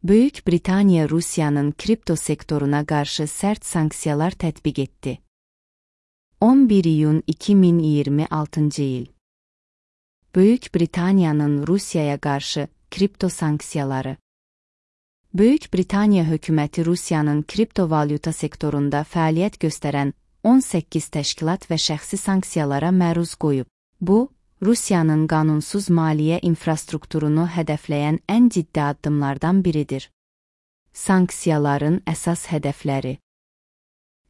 Böyük Britaniya Rusiyanın kripto sektoruna qarşı sərt sanksiyalar tətbiq etdi. 11 iyun 2026 il. Böyük Britaniyanın Rusiyaya qarşı kripto sanksiyaları. Böyük Britaniya hökuməti Rusiyanın kriptovalyuta sektorunda fəaliyyət göstərən 18 təşkilat və şəxsi sanksiyalara məruz qoyub. Bu, Rusiyanın qanunsuz maliyyə infrastrukturunu hədəfləyən ən ciddi addımlardan biridir. Sanksiyaların əsas hədəfləri.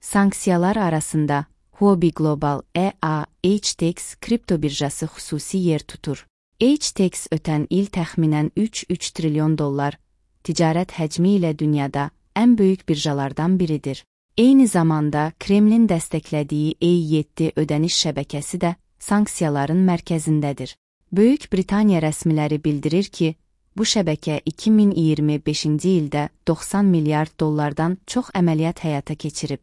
Sanksiyalar arasında Huobi Global EA HTX kripto birjası xüsusi yer tutur. HTX ötən il təxminən 3 trilyon dollar ticarət həcmi ilə dünyada ən böyük birjalardan biridir. Eyni zamanda Kremlin dəstəklədiyi E7 ödəniş şəbəkəsi də sanksiyaların mərkəzindədir. Böyük Britaniya rəsmiləri bildirir ki, bu şəbəkə 2025-ci ildə 90 milyard dollardan çox əməliyyat həyata keçirib.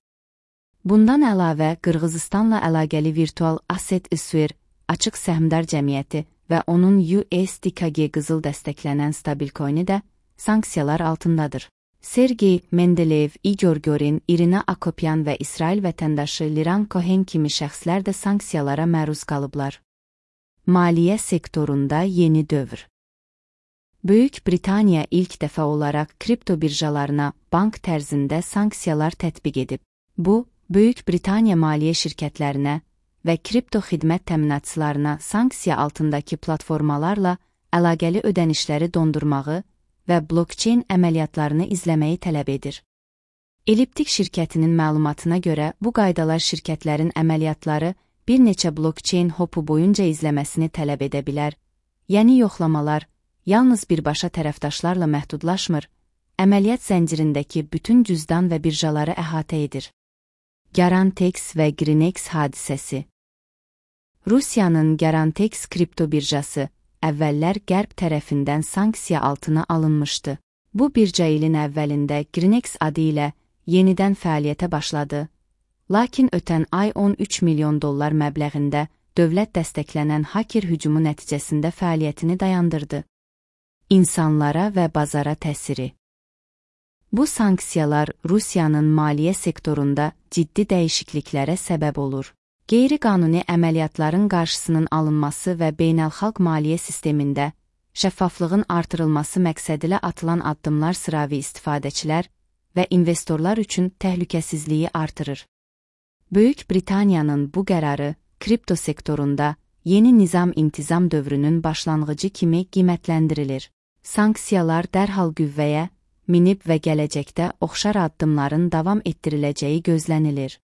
Bundan əlavə, Qırğızıstanla əlaqəli Virtual Asset Issuer açıq səhmdar cəmiyyəti və onun USDKG qızıl dəstəklənən stabilcoini də sanksiyalar altındadır. Sergey Mendeleyev, Igor Gorin, Irina Akopyan və İsrail vətəndaşı Liran Cohen kimi şəxslər də sanksiyalara məruz qalıblar. Maliyyə sektorunda yeni dövr. Böyük Britaniya ilk dəfə olaraq kripto birjalarına bank tərzində sanksiyalar tətbiq edib. Bu, Böyük Britaniya maliyyə şirkətlərinə və kripto xidmət təminatçılarına sanksiya altındakı platformalarla əlaqəli ödənişləri dondurmağı və blockchain əməliyyatlarını izləməyi tələb edir. Elliptic şirkətinin məlumatına görə bu qaydalar şirkətlərin əməliyyatları bir neçə blockchain hopu boyunca izləməsini tələb edə bilər, yəni yoxlamalar yalnız birbaşa tərəfdaşlarla məhdudlaşmır, əməliyyat zəncirindəki bütün cüzdan və birjaları əhatə edir. Garantex və Grinex hadisəsi. Rusiyanın Garantex kripto birjası əvvəllər Qərb tərəfindən sanksiya altına alınmışdı. Bu birja ilin əvvəlində Grinex adı ilə yenidən fəaliyyətə başladı. Lakin ötən ay 13 milyon dollar məbləğində dövlət dəstəklənən haker hücumu nəticəsində fəaliyyətini dayandırdı. İnsanlara və bazara təsiri. Bu sanksiyalar Rusiyanın maliyyə sektorunda ciddi dəyişikliklərə səbəb olur. Qeyri-qanuni əməliyyatların qarşısının alınması və beynəlxalq maliyyə sistemində şəffaflığın artırılması məqsədilə atılan addımlar sıravi istifadəçilər və investorlar üçün təhlükəsizliyi artırır. Böyük Britaniyanın bu qərarı kripto sektorunda yeni nizam-intizam dövrünün başlanğıcı kimi qiymətləndirilir. Sanksiyalar dərhal qüvvəyə minib və gələcəkdə oxşar addımların davam etdiriləcəyi gözlənilir.